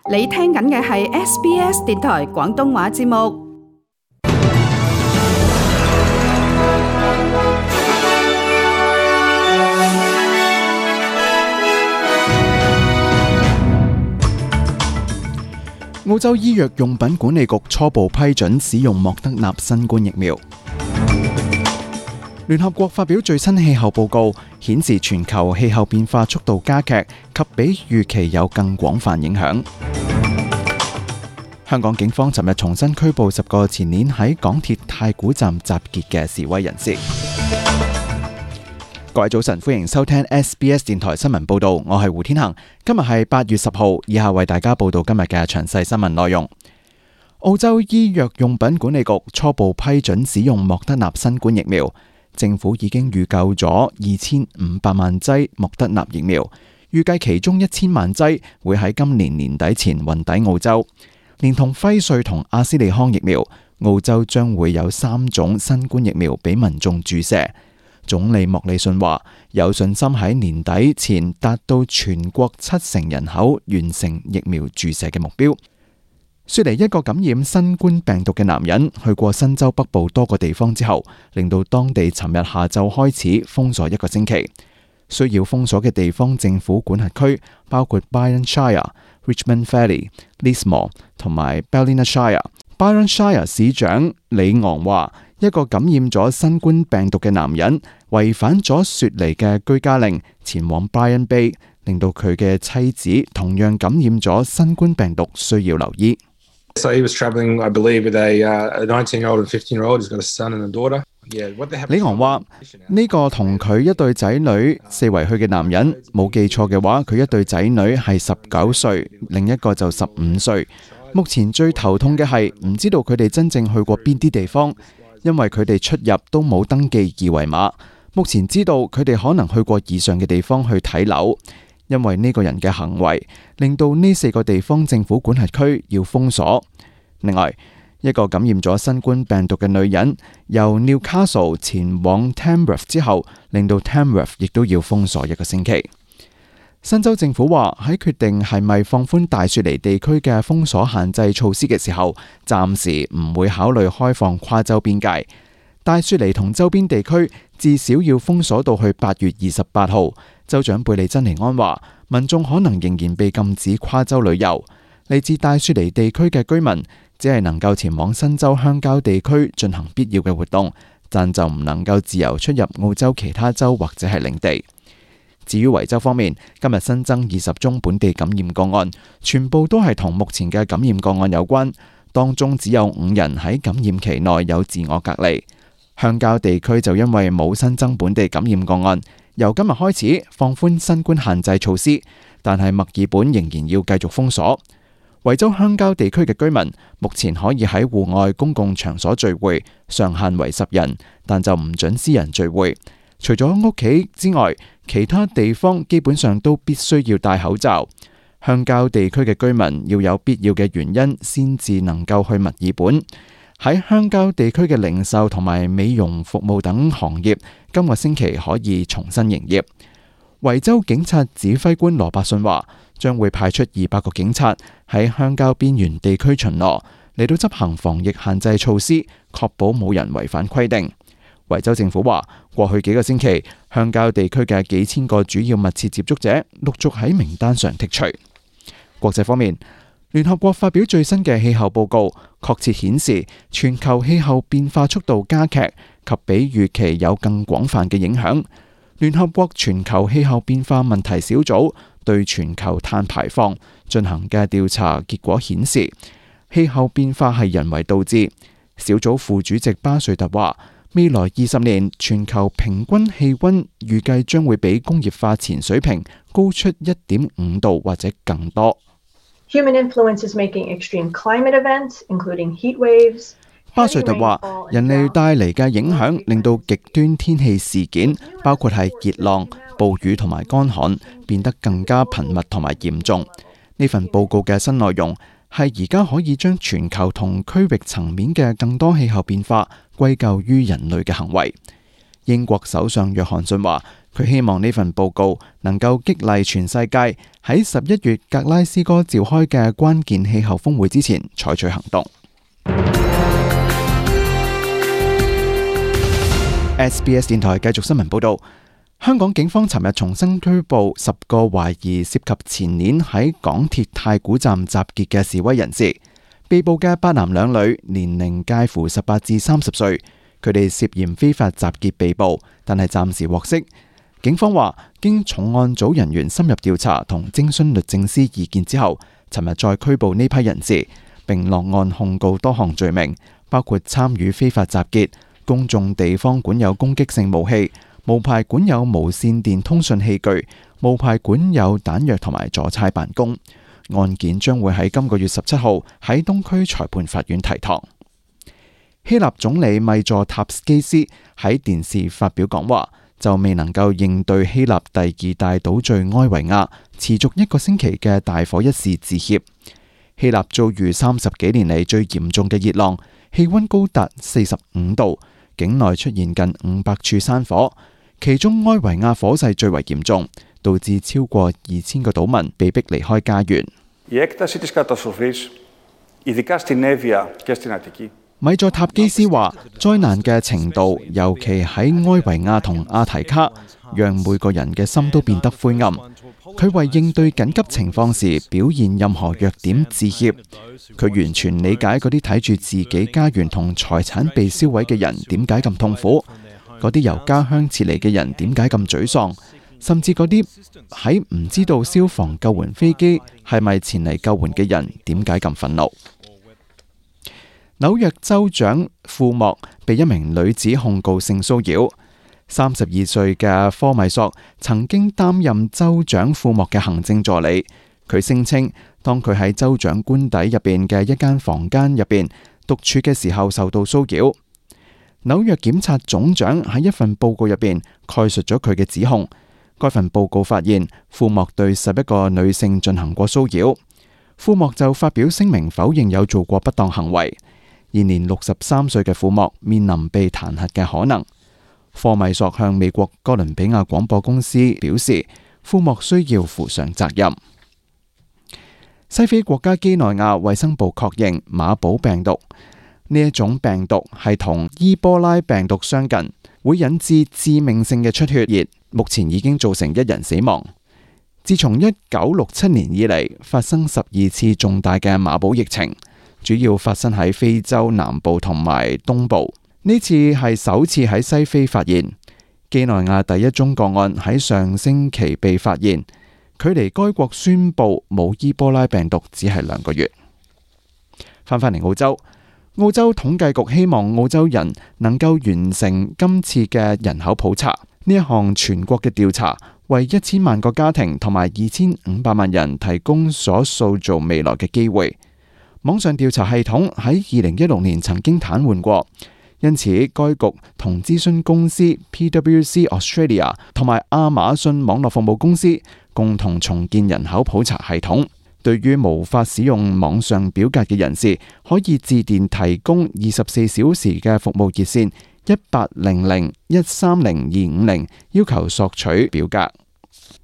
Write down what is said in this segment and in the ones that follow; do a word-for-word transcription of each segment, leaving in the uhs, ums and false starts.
你聽緊嘅係 S B S 電台廣東話節目。澳洲醫藥用品管理局初步批准使用莫德納新冠疫苗。聯合國發表最新氣候報告，顯示全球氣候變化速度加劇及比預期有更廣泛影響。香港警方尋日重新拘捕十個前年喺港鐵太古站集結嘅示威人士。各位早晨，歡迎收聽 S B S 電台新聞報道，我係胡天恒。今日係八月十號，以下為大家報道今日嘅詳細新聞內容。澳洲醫藥用品管理局初步批准使用莫德納新冠疫苗。政府已經預購咗二千五百萬劑莫德納疫苗，預計其中一千萬劑會喺今年年底前運抵澳洲。連同輝瑞同阿斯利康疫苗，澳洲將會有三種新冠疫苗俾民眾注射。總理莫里遜話有信心喺年底前達到全國七成人口完成疫苗注射嘅目標。雪梨一個感染新冠病毒嘅男人去過新州北部多個地方之後，令到當地尋日下晝開始封鎖一個星期。需要封鎖嘅地方政府管轄區包括 Byron Shire、Richmond Valley、Lismore 同埋 Ballina Shire。Byron Shire 市長李昂話，一個感染咗新冠病毒嘅男人違反咗雪梨嘅居家令，前往 Byron Bay， 令到佢嘅妻子同樣感染咗新冠病毒，需要留醫。So he was travelling, I believe, with a, uh, a nineteen-year-old and fifteen-year-old. He's got a son and a daughter. Yeah, what they have. 李昂話：呢個同佢一對仔女四圍去嘅男人，冇記錯嘅話，佢一對仔女係十九歲，另一個就十五歲。目前最頭痛嘅係唔知道佢哋真正去過邊啲地方，因為佢哋出入都冇登記二維碼。目前知道佢哋可能去過以上嘅地方去睇樓。因為呢個人嘅行為，令到呢四個地方政府管轄區要封鎖。另外，一個感染咗新冠病毒嘅女人由 Newcastle 前往 Tamworth 之後，令到 Tamworth 亦都要封鎖一個星期。新州政府話喺決定係咪放寬大雪梨地區嘅封鎖限制措施嘅時候，暫時唔會考慮開放跨州邊界。大雪梨同周邊地區至少要封鎖到去八月二十八號。州長貝利珍尼安話，民眾可能仍然被禁止跨州旅遊。嚟自大雪梨地區嘅居民只係能夠前往新州鄉郊地區進行必要嘅活動，但就唔能夠自由出入澳洲其他州或者係領地。至於維州方面，今日新增二十宗本地感染個案，全部都係同目前嘅感染個案有關，當中只有五人喺感染期內有自我隔離。鄉郊地區就因為冇新增本地感染個案，由今日開始放寬新冠限制措施，但係墨爾本仍然要繼續封鎖。維州鄉郊地區嘅居民目前可以喺戶外公共場所聚會，上限為十人，但就唔准私人聚會。除咗屋企之外，其他地方基本上都必須要戴口罩。鄉郊地區嘅居民要有必要嘅原因先至能夠去墨爾本。喺鄉郊地區嘅零售同埋美容服務等行業，今個星期可以重新營業。維州警察指揮官羅伯遜話，將會派出二百個警察喺鄉郊邊緣地區巡邏，嚟到執行防疫限制措施，確保冇人違反規定。維州政府話，過去幾個星期，鄉郊地區嘅幾千個主要密切接觸者陸續喺名單上剔除。國際方面，聯合國發表最新嘅氣候報告，確切顯示全球氣候變化速度加劇及比預期有更廣泛嘅影響。聯合國全球氣候變化問題小組對全球碳排放進行嘅調查結果顯示，氣候變化係人為導致。小組副主席巴瑞特話，未來二十年全球平均氣溫預計將會比工業化前水平高出一點五度或者更多。Human influence is making extreme climate events, including heat waves. 巴瑞特話，人類帶嚟嘅影響令到極端天氣事件，包括係熱浪、暴雨同埋乾旱，變得更加頻密同埋嚴重。呢份報告嘅新內容係而家可以將全球同區域層面嘅更多氣候變化歸咎於人類嘅行為。英國首相約翰遜話，佢希望呢份報告能夠激勵全世界喺十一月格拉斯哥召開嘅關鍵氣候峰會之前採取行動。S B S 電台繼續新聞報道，香港警方尋日重新拘捕十個懷疑涉及前年喺港鐵太古站集結嘅示威人士。被捕嘅八男兩女，年齡介乎十八至三十歲，佢哋涉嫌非法集結被捕，但係暫時獲釋。警方話，經重案組人員深入調查同徵詢律政司意見之後，尋日再拘捕呢批人士，並落案控告多項罪名，包括參與非法集結、公眾地方管有攻擊性武器、無牌管有無線電通訊器具、無牌管有彈藥同埋阻差辦公。案件將會喺今個月十七號喺東區裁判法院提堂。希臘總理米佐塔斯基斯喺電視發表講話，就未能夠應對希臘第二大島嶼埃維亞持續一個星期嘅大火一事致歉。希臘遭遇三十幾年嚟最嚴重嘅熱浪，氣溫高達四十五度，境內出現近五百處山火，其中埃維亞火勢最為嚴重，導致超過二千個島民被迫離開家園。米佐塔基斯話，災難嘅程度，尤其喺埃維亞同阿提卡，讓每個人嘅心都變得灰暗。佢為應對緊急情況時表現任何弱點致歉。佢完全理解嗰啲睇住自己家園同財產被燒毀嘅人點解咁痛苦，嗰啲由家鄉撤離嘅人點解咁沮喪，甚至嗰啲喺唔知道消防救援飛機係咪前嚟救援嘅人點解咁憤怒。紐約州長庫莫被一名女子控告性騷擾。三十二歲嘅科米索曾經擔任州長庫莫嘅行政助理。佢聲稱，當佢喺州長官邸入邊嘅一間房間入邊獨處嘅時候受到騷擾。紐約檢察總長喺一份報告入邊概述咗佢嘅指控。該份報告發現，庫莫對十一個女性進行過騷擾。庫莫就發表聲明否認有做過不當行為。現年六十三歲嘅庫莫面臨被彈劾嘅可能。科米索向美國哥倫比亞廣播公司表示，庫莫需要負上責任。西非國家幾內亞衛生部確認馬寶病毒呢一種病毒係同伊波拉病毒相近，會引致致命性嘅出血熱，目前已經造成一人死亡。自從一九六七年以嚟，發生十二次重大嘅馬寶疫情，主要發生喺非洲南部同埋東部。呢次係首次喺西非發現。幾內亞第一宗個案喺上星期被發現，距離該國宣布冇伊波拉病毒只係兩個月。翻返嚟澳洲，澳洲統計局希望澳洲人能夠完成今次嘅人口普查。呢一項全國嘅調查為一千萬個家庭同埋二千五百萬人提供所塑造未來嘅機會。網上調查系統喺二零一六年曾經癱瘓過，因此該局同諮詢公司 P W C Australia 同埋亞馬遜網絡服務公司共同重建人口普查系統。對於無法使用網上表格嘅人士，可以致電提供二十四小時嘅服務熱線一八零零一三零二五零，要求索取表格。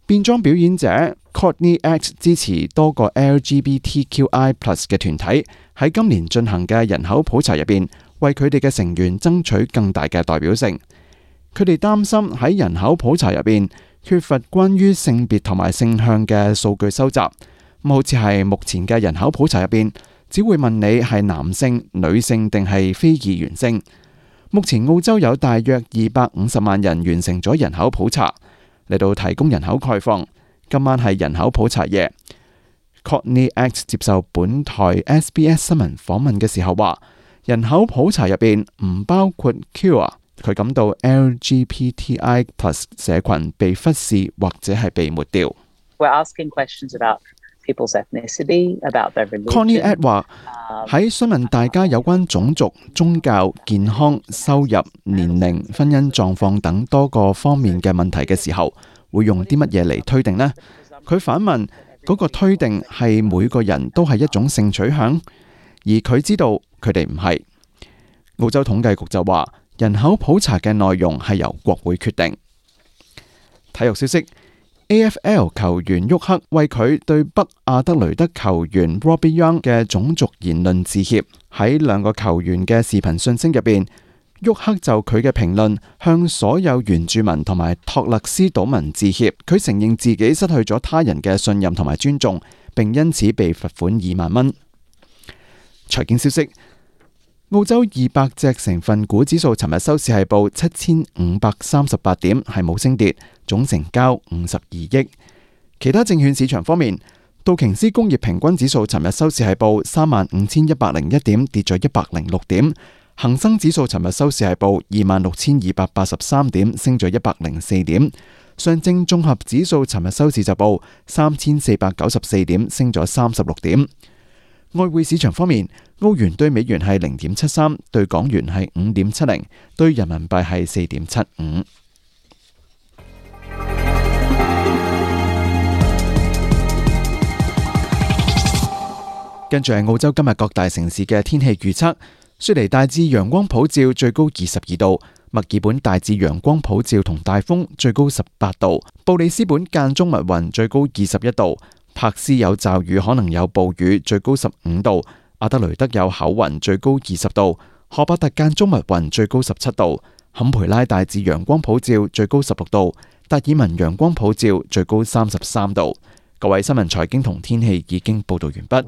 變裝表演者 Courtney Act 支持多個 L G B T Q I plus 嘅團體喺今年進行嘅人口普查入邊，為佢哋嘅成員爭取更大嘅代表性。佢哋擔心喺人口普查入邊缺乏關於性別同埋性向嘅數據收集。咁好似係目前嘅人口普查入邊，只會問你係男性、女性定係非二元性。目前澳洲有大約二百五十萬人完成咗人口普查。嚟到提供人口概況，今晚係人口普查夜。Courtney Act 接受本台 S B S 新聞訪問嘅時候話，人口普查入邊唔包括 Queer， 佢感到 L G B T I plus 社群被忽視或者係被抹掉。We're asking questions about people's ethnicity, about their religion. Courtney Act 話喺詢問大家有關種族、宗教、健康、收入、年齡、婚姻狀況等多個方面嘅問題嘅時候，會用啲乜嘢嚟推定呢？佢反問嗰個推定係每個人都係一種性取向，而佢知道佢哋唔係。澳洲統計局就話人口普查嘅內容係由國會決定。體育消息 ，A F L 球員沃克為佢對北亞德雷德球員 Robbie Young 嘅種族言論致歉。喺兩個球員嘅視頻訊息入邊，沃克就佢嘅評論向所有原住民同埋托勒斯島民致歉。佢承認自己失去咗他人嘅信任同埋尊重，並因此被罰款二萬蚊。財經消息。澳洲二百隻成分股指數尋日收市係報七千五百三十八點，係冇升跌，總成交五十二億。其他證券市場方面，道瓊斯工業平均指數尋日收市係報三萬五千一百零一點，跌咗一百零六點。恒生指數尋日收市係報二萬六千二百八十三點，升咗一百零四點。上證綜合指數尋日收市就報三千四百九十四點，升咗三十六點。外匯市場方面，澳元對美元係零點七三，對港元係五點七零，對人民幣係四點七五。跟住係澳洲今日各大城市嘅天氣預測：雪梨大致陽光普照，最高二十二度；墨爾本大致陽光普照同大風，最高十八度；布里斯本間中密雲，最高二十一度。柏斯有驟雨，可能有暴雨，最高十五度；阿德雷德有厚雲，最高二十度；荷伯特間中密雲，最高十七度；坎培拉大致陽光普照，最高十六度；達爾文陽光普照，最高三十三度。各位新聞財經同天氣已經報道完畢。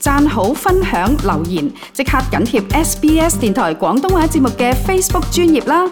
讚好、分享、留言，即刻緊貼 S B S 電台廣東話節目嘅 Facebook 專頁啦！